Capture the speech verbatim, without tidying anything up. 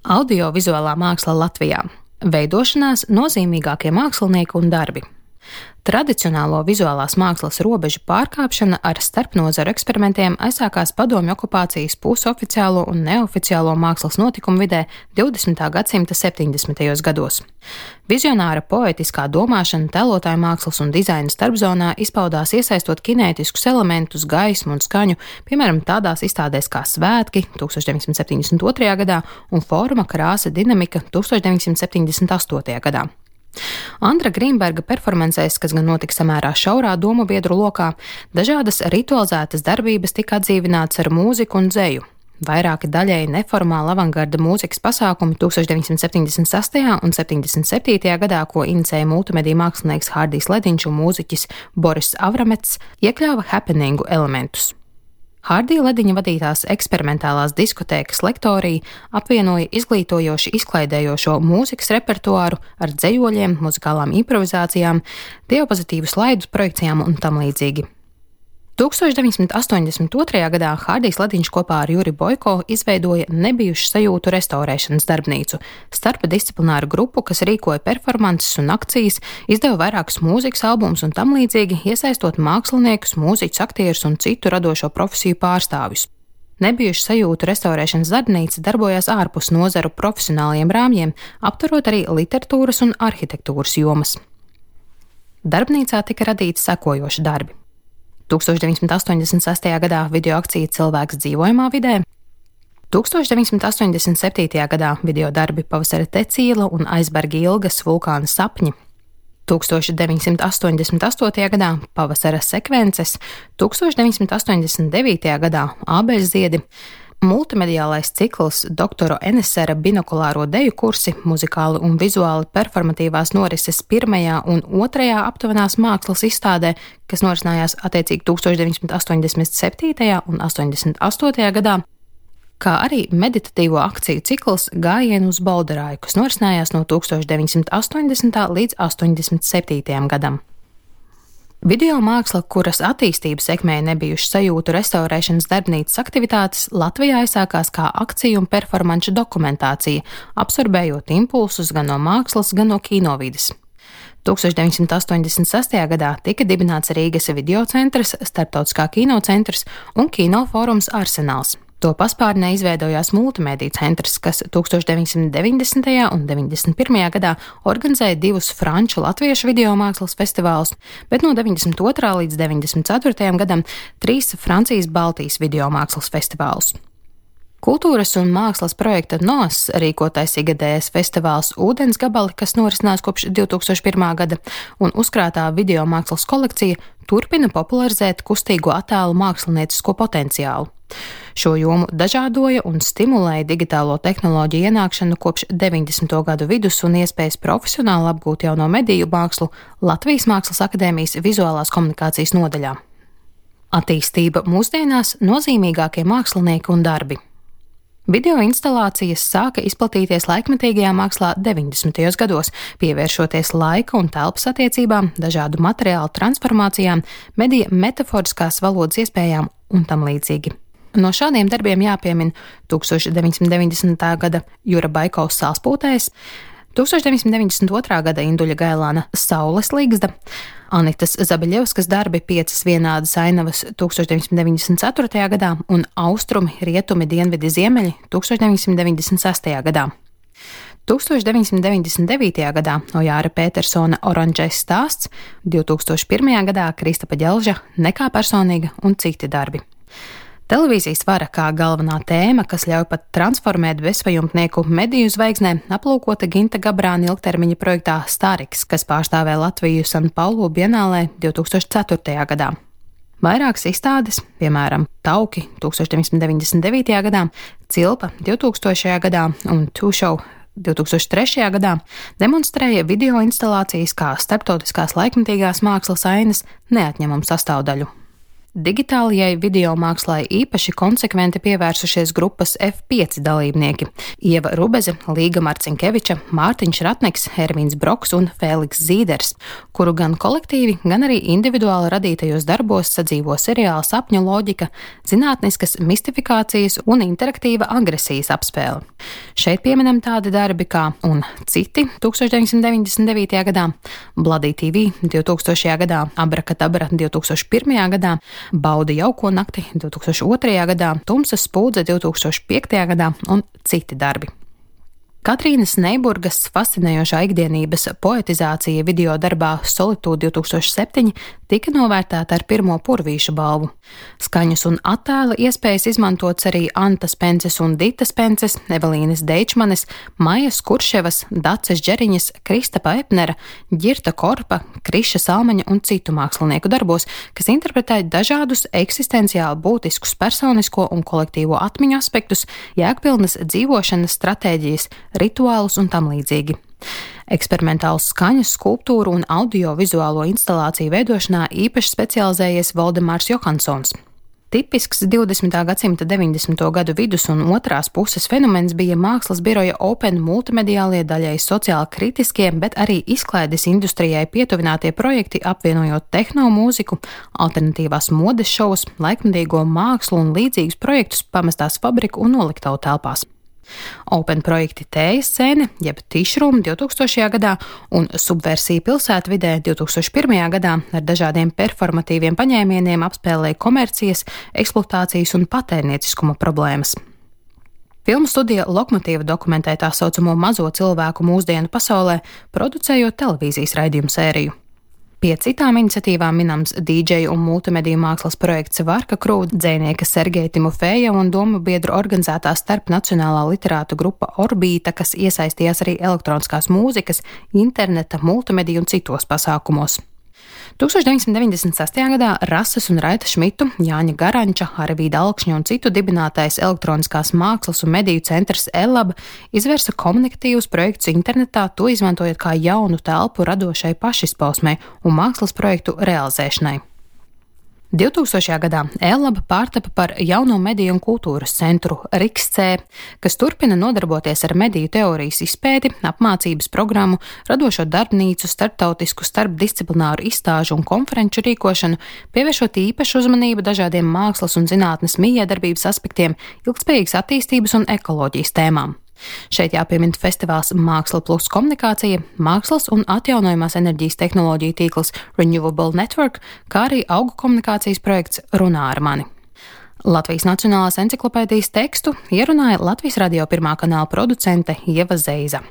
Audiovizuālā māksla Latvijā. Veidošanās nozīmīgākie mākslinieki un darbi. Tradicionālo vizuālās mākslas robežu pārkāpšana ar starpnozaru eksperimentiem aizsākās padomju okupācijas pusoficiālo un neoficiālo mākslas notikumu vidē divdesmitā gadsimta septiņdesmitajos gados. Vizionāra poetiskā domāšana tēlotāju mākslas un dizaina starpzonā izpaudās iesaistot kinētiskus elementus, gaismu un skaņu, piemēram, tādās izstādēs kā Svētki tūkstoš deviņsimt septiņdesmit otrajā gadā un Forma, krāsa, dinamika tūkstoš deviņsimt septiņdesmit astotajā gadā. Andra Grīnberga performancēs, kas gan notika samērā šaurā domu biedru lokā, dažādas ritualizētas darbības tika atdzīvināts ar mūziku un dzeju. Vairāki daļēji neformāli avangarda mūzikas pasākumi tūkstoš deviņsimt septiņdesmit sastajā un septiņdesmit septītajā gadā, ko inicēja multimediju mākslinieks Hārdijs Lediņš un mūziķis Boris Avramets, iekļāva happeningu elementus. Hārdija Lediņa vadītās eksperimentālās diskotēkas lektorija apvienoja izglītojoši izklaidējošo mūzikas repertuāru ar dzejoļiem, muzikālām improvizācijām, diapozitīvu slaidu projekcijām un tam līdzīgi. tūkstoš deviņsimt astoņdesmit otrajā gadā Hārdijs Lediņš kopā ar Juri Boiko izveidoja nebijušu sajūtu restaurēšanas darbnīcu, starpdisciplināru grupu, kas rīkoja performances un akcijas, izdeva vairākus mūzikas albumus un tam līdzīgi, iesaistot māksliniekus, mūziķus, aktierus un citu radošo profesiju pārstāvjus. Nebijušu sajūtu restaurēšanas darbnīca darbojās ārpus nozaru profesionāliem rāmjiem, aptverot arī literatūras un arhitektūras jomas. Darbnīcā tika radīti sekojoši darbi. tūkstoš deviņsimt astoņdesmit sastajā gadā video akcija Cilvēks dzīvojamā vidē, tūkstoš deviņsimt astoņdesmit septītajā gadā video darbi Pavasara tecīla un Aizberga ilgas vulkāna sapņi, tūkstoš deviņsimt astoņdesmit astotajā gadā Pavasara sekvences, tūkstoš deviņsimt astoņdesmit devītajā gadā Ābeļziedi, multimediālais cikls Doktora Enesera binokulāro deju kursi, muzikāli un vizuāli performatīvās norises pirmajā un otrajā aptuvenās mākslas izstādē, kas norisinājās attiecīgi tūkstoš deviņsimt astoņdesmit septītajā un astoņdesmit astotajā gadā, kā arī meditatīvo akciju cikls Gājieni uz Bolderāju, kas norisinājās no tūkstoš deviņsimt astoņdesmitā līdz astoņdesmit septītajam gadam. Video māksla, kuras attīstību sekmēja nebijušu sajūtu restaurēšanas darbnīcas aktivitātes, Latvijā aizsākās kā akciju un performanču dokumentācija, absorbējot impulsus gan no mākslas, gan no kinovides. tūkstoš deviņsimt astoņdesmit sastajā gadā tika dibināts Rīgas videocentrs, Starptautiskā kinocentrs un kinofórums Arsenāls. To paspārnē izveidojās multimediju centrs, kas tūkstoš deviņsimt deviņdesmitajā un deviņdesmit pirmajā gadā organizēja divus franču latviešu video mākslas festivālus, bet no deviņdesmit otrā līdz deviņdesmit ceturtajam gadam trīs Francijas Baltijas video mākslas festivālus. Kultūras un mākslas projekta N O S rīkotais igadējais festivāls Ūdens gabali, kas norisinās kopš divtūkstoš pirmā gada, un uzkrātā video mākslas kolekcija turpina popularizēt kustīgo attēlu māksliniecisko potenciālu. Šo jomu dažādoja un stimulēja digitālo tehnoloģiju ienākšanu kopš deviņdesmito gadu vidus un iespējas profesionāli apgūt jauno mediju mākslu Latvijas Mākslas akadēmijas vizuālās komunikācijas nodaļā. Attīstība mūsdienās nozīmīgākie mākslinieki un darbi. Video instalācijas sāka izplatīties laikmetīgajā mākslā deviņdesmitajos gados, pievēršoties laika un telpas attiecībām, dažādu materiālu transformācijām, medija metaforiskās valodas iespējām un tam līdzīgi. No šādiem darbiem jāpiemina tūkstoš deviņsimt deviņdesmitā gada Jura Boiko Salspūtējs, tūkstoš deviņsimt deviņdesmit otrā gada Induļa Gailāna Saules līgzda, Anitas Zabeļevskas darbi Piecas vienādas ainavas tūkstoš deviņsimt deviņdesmit ceturtajā gadā un Austrumi, rietumi, dienvidi, ziemeļi tūkstoš deviņsimt deviņdesmit sastajā gadā. tūkstoš deviņsimt deviņdesmit devītajā gadā Ojāra Pētersona Oranžais stāsts, divtūkstoš pirmajā gadā Kristapa Ģelža Nekā personīga un citi darbi. Televīzijas vara kā galvenā tēma, kas ļauj pat transformēt bezpajumtnieku mediju zvaigznē, aplūkota Ginta Gabrāna ilgtermiņa projektā Stariks, kas pārstāvēja Latviju San Paulu bienālē divtūkstoš ceturtajā gadā. Vairākas izstādes, piemēram, Tauki tūkstoš deviņsimt deviņdesmit devītajā gadā, Cilpa divtūkstošajā gadā un Two Show divtūkstoš trešajā gadā, demonstrēja video instalācijas kā starptautiskās laikmetīgās mākslas ainas neatņemamu sastāvdaļu. Digitālajai videomākslai īpaši konsekventi pievērsušies grupas F pieci dalībnieki - Ieva Rubeze, Līga Marcinkeviča, Mārtiņš Ratneks, Hervīns Broks un Fēliks Zīders, kuru gan kolektīvi, gan arī individuāli radītajos darbos sadzīvo seriāla sapņu loģika, zinātniskas mistifikācijas un interaktīva agresijas apspēle. Šeit pieminam tādi darbi kā Un citi tūkstoš deviņsimt deviņdesmit devītajā gadā, Bloody T V divtūkstošajā gadā, Abrakadabra divtūkstoš pirmajā gadā, Baudi jauko nakti divtūkstoš otrajā gadā, Tumsas spūdze divtūkstoš piektajā gadā un citi darbi. Katrīnas Neiburgas fascinējošā ikdienības poetizācija video darbā Solitūde divtūkstoš septiņi tika novērtēta ar pirmo Purvīša balvu. Skaņas un attēla iespējas izmantots arī Antas Pences un Ditas Pences, Evelīnas Deičmanes, Maijas Kurševas, Daces Džeriņas, Kristapa Epnera, Ģirta Korpa, Kriša Salmaņa un citu mākslinieku darbos, kas interpretē dažādus eksistenciāli būtiskus personisko un kolektīvo atmiņu aspektus, jēgpilnas dzīvošanas stratēģijas, rituālus un tam līdzīgi. Eksperimentāls skaņas, skulptūru un audiovizuālo instalāciju veidošanā īpaši specializējies Voldemārs Johansons. Tipisks divdesmitā gadsimta deviņdesmito gadu vidus un otrās puses fenomens bija mākslas biroja Open multimediālie, daļai sociāli kritiskie, bet arī izklaides industrijai pietuvinātie projekti, apvienojot tehnomūziku, alternatīvās modes šovus, laikmetīgo mākslu un līdzīgus projektus pamestās fabriku un noliktavu telpās. Open projekti Tējas scēne, jeb Tišrūm divtūkstošajā gadā un Subversija pilsētvidē divtūkstoš pirmajā gadā ar dažādiem performatīviem paņēmieniem apspēlēja komercijas, eksploatācijas un patērnieciskuma problēmas. Filmu studija Lokmotīva dokumentē tā saucamo mazo cilvēku mūsdienu pasaulē, producējot televīzijas raidījumu sēriju. Pie citām iniciatīvām minams D J un multimediju mākslas projekts Varka Krū, dzejnieka Sergeja Timofeja un domu biedru organizētā starpnacionālā literātu grupa Orbīta, kas iesaistījās arī elektroniskās mūzikas, interneta, multimediju un citos pasākumos. tūkstoš deviņsimt deviņdesmit sestajā gadā Rasas un Raita Šmitu, Jāņa Garanča, Arvīda Alkšņa un citu dibinātais elektroniskās mākslas un mediju centrs E-lab izvērsa komunikatīvus projektus internetā, to izmantojot kā jaunu telpu radošai pašizpausmei un mākslas projektu realizēšanai. divtūkstošajā gadā E-lab pārtapa par jauno mediju un kultūras centru RIKS-C, kas turpina nodarboties ar mediju teorijas izpēti, apmācības programmu, radošo darbnīcu, starptautisku starpdisciplināru izstāžu un konferenču rīkošanu, pievēršot īpašu uzmanību dažādiem mākslas un zinātnes mijiedarbības aspektiem, ilgtspējīgas attīstības un ekoloģijas tēmām. Šeit jāpiemina festivāls Māksla plus komunikācija, mākslas un atjaunojamās enerģijas tehnoloģiju tīkls Renewable Network, kā arī augu komunikācijas projekts Runā ar mani. Latvijas Nacionālās enciklopēdijas tekstu ierunāja Latvijas radio pirmā kanāla producente Ieva Zeiza.